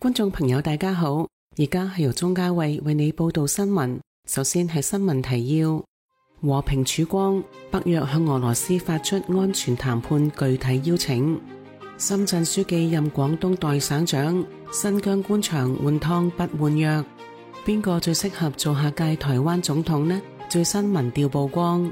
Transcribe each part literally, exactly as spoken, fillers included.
觀眾朋友大家好，而家係由鍾嘉慧為你報道新聞。首先係新聞提要：和平曙光，北約向俄羅斯發出安全談判具體邀請。深圳書記任廣東代省長，新疆官場換湯不換藥。邊個最適合做下屆台灣總統呢？最新民調曝光，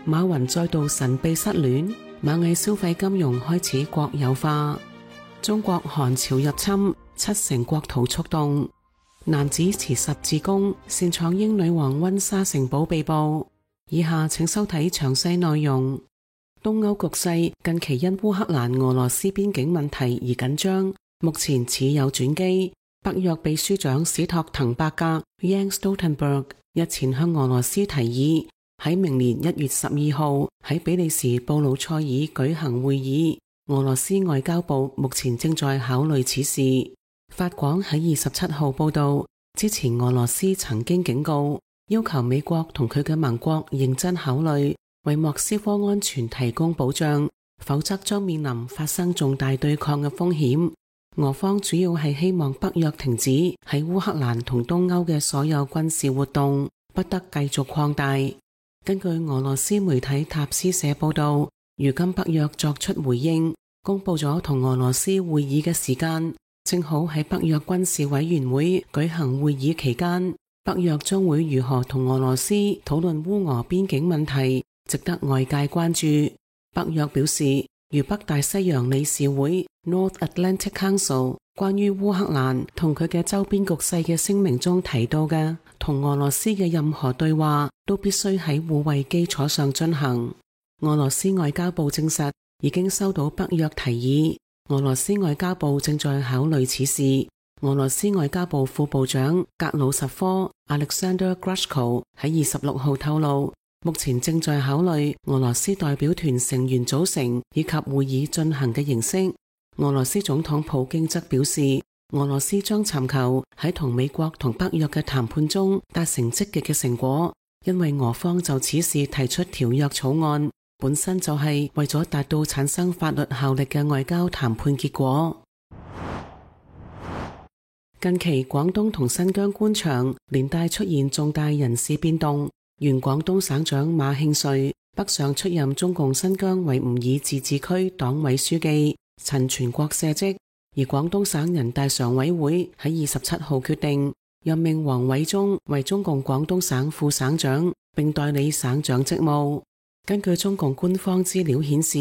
馬雲再度神秘失戀，螞蟻消費金融開始國有化。中國韓朝入侵，七成國土觸動。男子持十字弓擅闖英女王溫莎城堡被捕。以下請收睇詳細內容。東歐局勢近期因烏克蘭俄羅斯邊境問題而緊張，目前似有轉機。北約秘書長史托滕伯格 Jens Stoltenberg 日前向俄羅斯提議，喺明年一月十二號喺比利時布魯塞爾舉行會議。俄羅斯外交部目前正在考慮此事。法廣喺二十七號報道，之前俄羅斯曾經警告，要求美國同佢嘅盟國認真考慮為莫斯科安全提供保障，否則將面臨發生重大對抗嘅風險。俄方主要係希望北約停止喺烏克蘭同東歐嘅所有軍事活動，不得繼續擴大。根據俄羅斯媒體塔斯社報道，如今北約作出回應，公布咗同俄羅斯會議嘅時間，正好喺北約軍事委員會舉行會議期間。北約將會如何同俄羅斯討論烏俄邊境問題，值得外界關注。北約表示，如北大西洋理事會 North Atlantic Council 關於烏克蘭同佢嘅周邊局勢嘅聲明中提到嘅，同俄羅斯嘅任何對話都必須喺互惠基礎上進行。俄羅斯外交部證實已經收到北約提議，俄羅斯外交部正在考慮此事。俄羅斯外交部副部長格魯什科 Alexander Grushko 喺二十六號透露，目前正在考慮俄羅斯代表團成員組成以及會議進行嘅形式。俄羅斯總統普京則表示，俄羅斯將尋求喺同美國同北約嘅談判中達成積極嘅成果，因為俄方就此事提出條約草案，本身就係為咗達到產生法律效力嘅外交談判結果。近期廣東同新疆官場連帶出現重大人事變動，原廣東省長馬慶瑞北上出任中共新疆維吾爾自治區黨委書記，陳全國卸職。而廣東省人大常委會喺二十七號決定任命王偉中為中共廣東省副省長，並代理省長職務。根據中共官方資料顯示，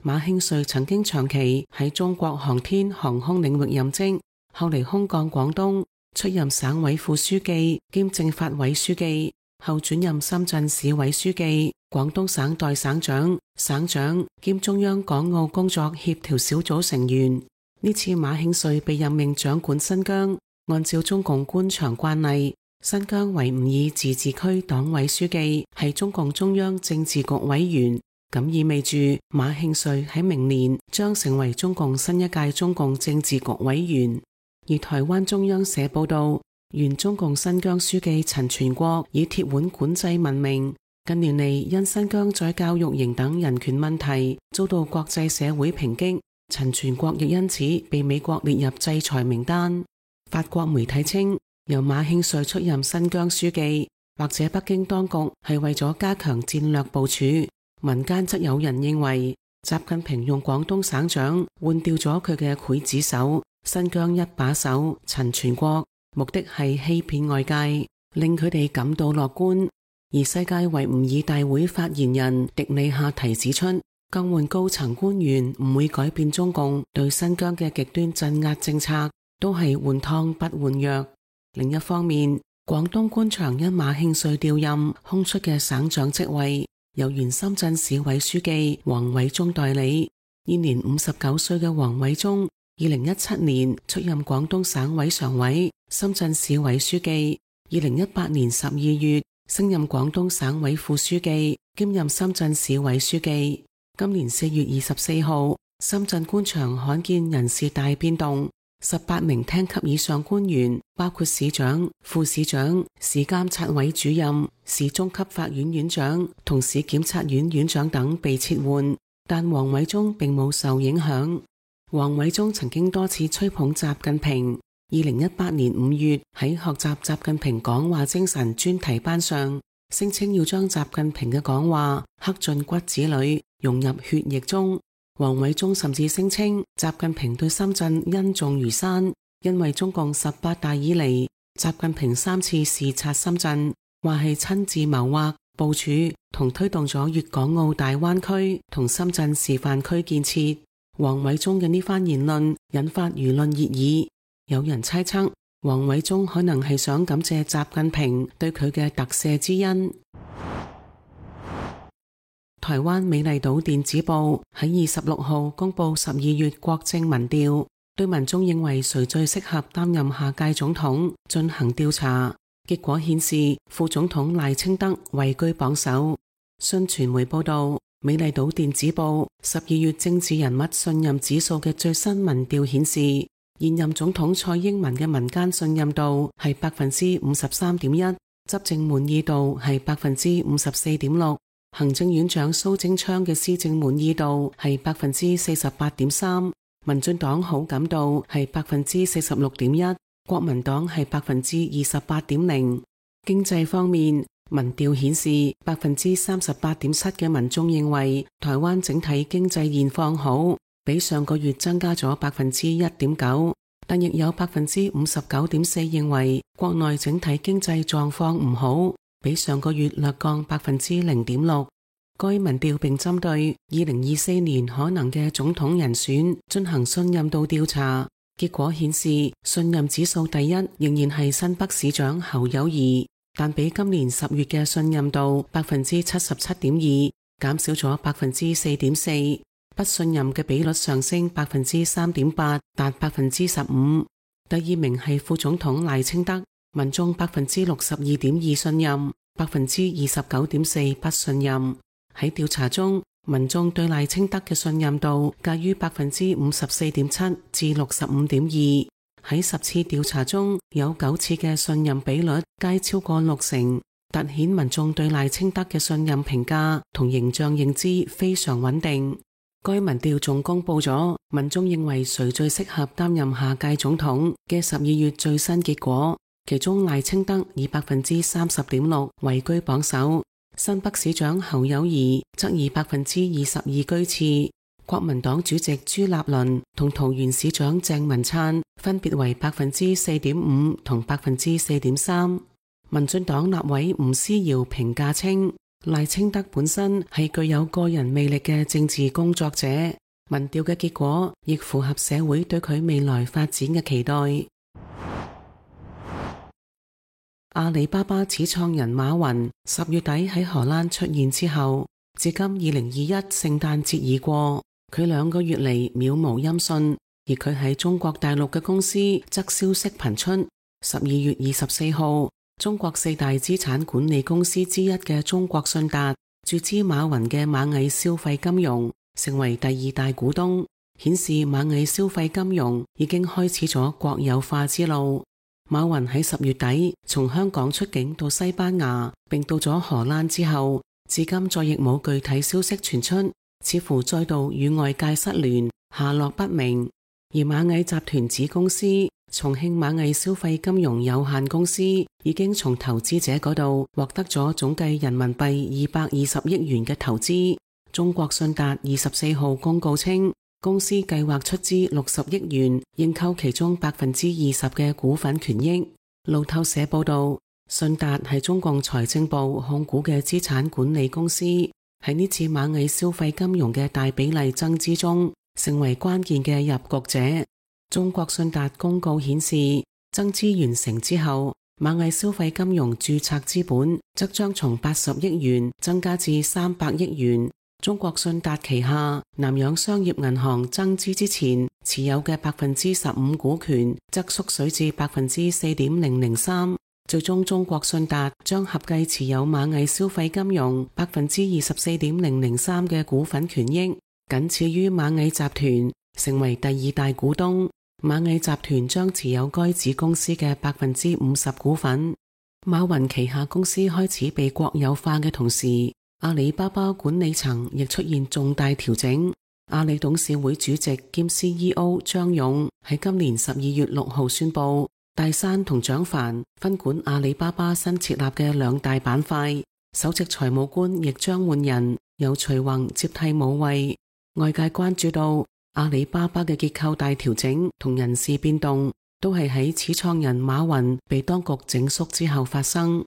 馬慶瑞曾經長期喺中國航天航空領域任職，後嚟空降廣東，出任省委副書記兼政法委書記，後轉任深圳市委書記、廣東省代省長、省長兼中央港澳工作協調小組成員。呢次馬慶瑞被任命掌管新疆，按照中共官場慣例，新疆維吾爾自治區黨委書記係中共中央政治局委員，咁意味住馬慶瑞喺明年將成為中共新一屆中共政治局委員。而台灣中央社報道，原中共新疆書記陳全國以鐵腕管制聞名，近年嚟因新疆在教育營等人權問題遭到國際社會抨擊，陳全國亦因此被美國列入制裁名單。法國媒體稱，由馬慶瑞出任新疆書記，或者北京當局係為咗加強戰略部署。民間則有人認為，習近平用廣東省長換掉咗佢嘅劊子手新疆一把手陳全國，目的係欺騙外界，令佢哋感到樂觀。而世界維吾爾大會發言人迪里夏提指出，更換高層官員唔會改變中共對新疆嘅極端鎮壓政策，都係換湯不換藥。另一方面，廣東官場因馬慶瑞調任空出嘅省長職位，由原深圳市委書記王偉中代理。現年五十九歲嘅王偉中，二零一七年出任廣東省委常委、深圳市委書記。二零一八年十二月升任廣東省委副書記，兼任深圳市委書記。今年四月二十四號，深圳官場罕見人事大變動，十八名廳級以上官員，包括市長、副市長、市監察委主任、市中級法院院長同市檢察院院長等被撤換，但王偉中並冇受影響。王偉中曾經多次吹捧習近平，二零一八年五月喺學習習近平講話精神專題班上，聲稱要將習近平嘅講話刻進骨子裏，融入血液中。王偉中甚至聲稱習近平對深圳恩重如山，因為中共十八大以嚟，習近平三次視察深圳，話係親自謀劃、部署同推動咗粵港澳大灣區同深圳示範區建設。王偉中嘅呢番言論引發輿論熱議。有人猜測，王偉中可能係想感謝習近平對佢嘅特赦之恩。台灣美麗島電子報喺二十六號公布十二月國政民調，對民眾認為誰最適合擔任下屆總統進行調查。結果顯示，副總統賴清德位居榜首。信傳媒報道，美麗島電子報十二月政治人物信任指數嘅最新民調顯示，現任總統蔡英文嘅民間信任度係百分之五十三點一，執政滿意度係百分之五十四點六，行政院長蘇貞昌嘅施政滿意度係百分之四十八點三，民進黨好感度係百分之四十六點一，國民黨係百分之二十八點零。經濟方面，民調顯示百分之三十八點七嘅民眾認為台灣整體經濟現況好，比上個月增加咗百分之一點九，但亦有百分之五十九點四認為國內整體經濟狀況唔好，比上個月略降百分之零點六。該民調並針對二零二四年可能嘅總統人選進行信任度調查，結果顯示信任指數第一仍然係新北市長侯友宜，但比今年十月嘅信任度百分之七十七點二減少咗百分之四點四。不信任嘅比率上升百分之三點八，達百分之十五。第二名係副總統賴清德，民眾百分之六十二點二信任，百分之二十九點四不信任。喺調查中，民眾對賴清德嘅信任度介於百分之五十四點七至六十五點二。喺十次調查中，有九次嘅信任比率皆超過六成，凸顯民眾對賴清德嘅信任評價同形象認知非常穩定。該民調仲公布咗民眾認為誰最適合擔任下屆總統嘅十二月最新結果，其中賴清德以百分之三十點六位居榜首，新北市長侯友宜則以百分之二十二居次，國民黨主席朱立倫同桃園市長鄭文燦分別為百分之四點五同百分之四點三。民進黨立委吳思瑤評價稱，賴清德本身係具有個人魅力嘅政治工作者，民調嘅結果亦符合社會對佢未來發展嘅期待。阿里巴巴始創人馬雲十月底喺荷蘭出現之後，至今二零二一聖誕節已過，佢兩個月嚟渺無音訊，而佢喺中國大陸嘅公司則消息頻出。十二月二十四號，中國四大資產管理公司之一嘅中國信達注資馬雲嘅螞蟻消費金融，成為第二大股東，顯示螞蟻消費金融已經開始咗國有化之路。馬雲喺十月底從香港出境到西班牙，並到咗荷蘭之後，至今再亦冇具體消息傳出，似乎再度與外界失聯，下落不明。而螞蟻集團子公司重慶螞蟻消費金融有限公司已經從投資者嗰度獲得咗總計人民幣二百二十億元嘅投資。中國信達二十四號公告稱，公司計劃出資六十億元認購其中百分之二十嘅股份權益。路透社報道，信達係中共財政部控股嘅資產管理公司，喺呢次螞蟻消費金融嘅大比例增資中，成為關鍵嘅入局者。中國信達公告顯示，增資完成之後，螞蟻消費金融註冊資本則將從八十億元增加至三百億元。中國信達旗下南洋商業銀行增資之前持有嘅百分之十五股權則縮水至百分之四點零零三。最終中國信達將合計持有螞蟻消費金融百分之二十四點零零三嘅股份權益，僅次於螞蟻集團，成為第二大股東。螞蟻集團將持有該子公司嘅百分之五十股份。馬雲旗下公司開始被國有化嘅同時，阿里巴巴管理層亦出現重大調整。阿里董事會主席兼 C E O 張勇喺今年十二月六號宣布，戴珊同蔣凡分管阿里巴巴新設立嘅兩大板塊，首席財務官亦將換人，由徐宏接替武衛。外界關注到阿里巴巴嘅結構大調整同人事變動，都係喺始創人馬雲被當局整肅之後發生。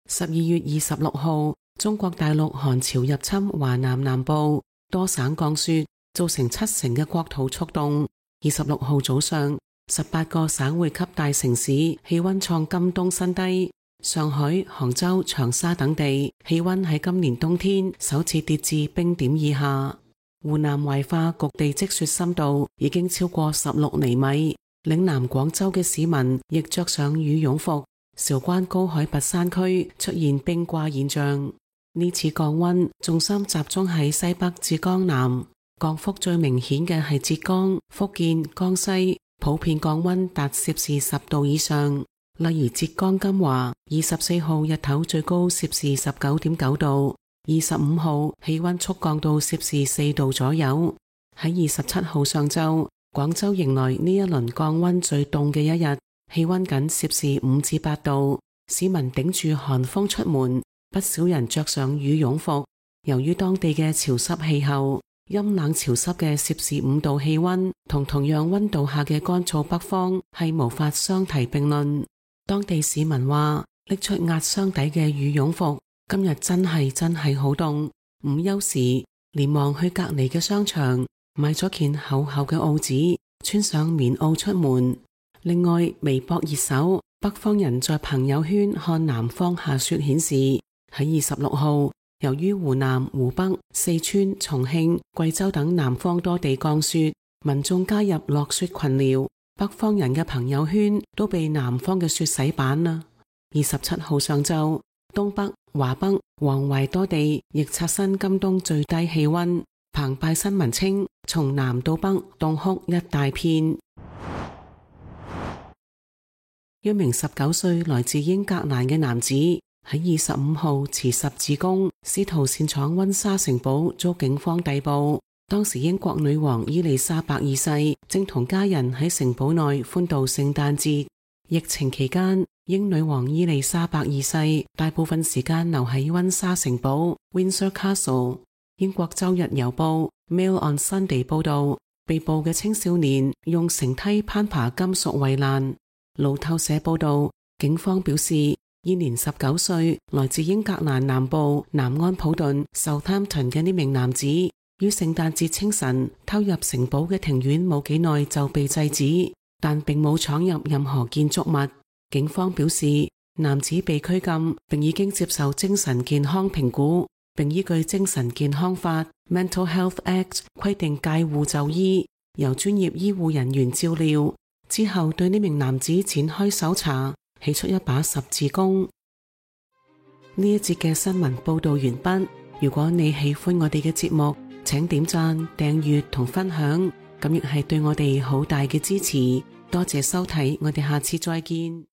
十二月二十六號，中國大陸寒潮入侵華南南部，多省降雪，造成七成嘅國土速凍。二十六號早上，十八個省會級大城市氣溫創今冬新低，上海、杭州、長沙等地氣溫喺今年冬天首次跌至冰點以下。湖南懷化局地積雪深度已經超過十六厘米，嶺南廣州嘅市民亦着上羽絨服。韶關高海拔山區出現冰掛現象。呢次降溫重心集中喺西北至江南，降幅最明顯嘅係浙江、福建、江西，普遍降溫達攝氏十度以上。例如浙江金華，二十四號日頭最高攝氏十九點九度，二十五號氣溫速降到攝氏四度左右。喺二十七號上晝，廣州迎來呢一輪降溫最凍嘅一日，氣溫僅攝氏五至八度，市民頂住寒風出門。不少人着上羽絨服，由於當地嘅潮濕氣候，陰冷潮濕嘅攝氏五度氣溫同同樣溫度下嘅乾燥北方係無法相提並論。當地市民話，拎出壓箱底嘅羽絨服，今日真係真係好凍。午休時連忙去隔籬嘅商場買咗件厚厚嘅襖紙，穿上棉襖出門。另外，微博熱搜北方人在朋友圈看南方下雪顯示，喺二十六號，由於湖南、湖北、四川、重慶、貴州等南方多地降雪，民眾加入落雪群聊，北方人嘅朋友圈都被南方嘅雪洗版啦。二十七號上晝，東北、華北、黃淮多地亦刷新今冬最低氣溫。澎湃新聞稱，從南到北凍哭一大片。一名十九歲來自英格蘭嘅男子喺二十五號持十字弓，試圖擅闖溫莎城堡，遭警方逮捕。當時英國女王伊麗莎白二世正同家人喺城堡內歡度聖誕節。疫情期間，英女王伊麗莎白二世大部分時間留喺溫莎城堡 Windsor Castle。英國周日郵報 Mail on Sunday 報道，被捕嘅青少年用繩梯攀爬金屬圍欄。路透社報道，警方表示，現年十九歲，來自英格蘭南部南安普頓 Southampton 嘅呢名男子，於聖誕節清晨偷入城堡嘅庭院冇幾耐就被制止，但並冇闖入任何建築物。警方表示，男子被拘禁，並已經接受精神健康評估，並依據精神健康法 Mental Health Act 規定戒護就醫，由專業醫護人員照料。之後對呢名男子展開搜查，起出一把十字弓。呢一節嘅新聞報道完畢。如果你喜歡我哋嘅節目，請點讚、訂閱同分享，咁亦係對我哋好大嘅支持。多謝收睇，我哋下次再見。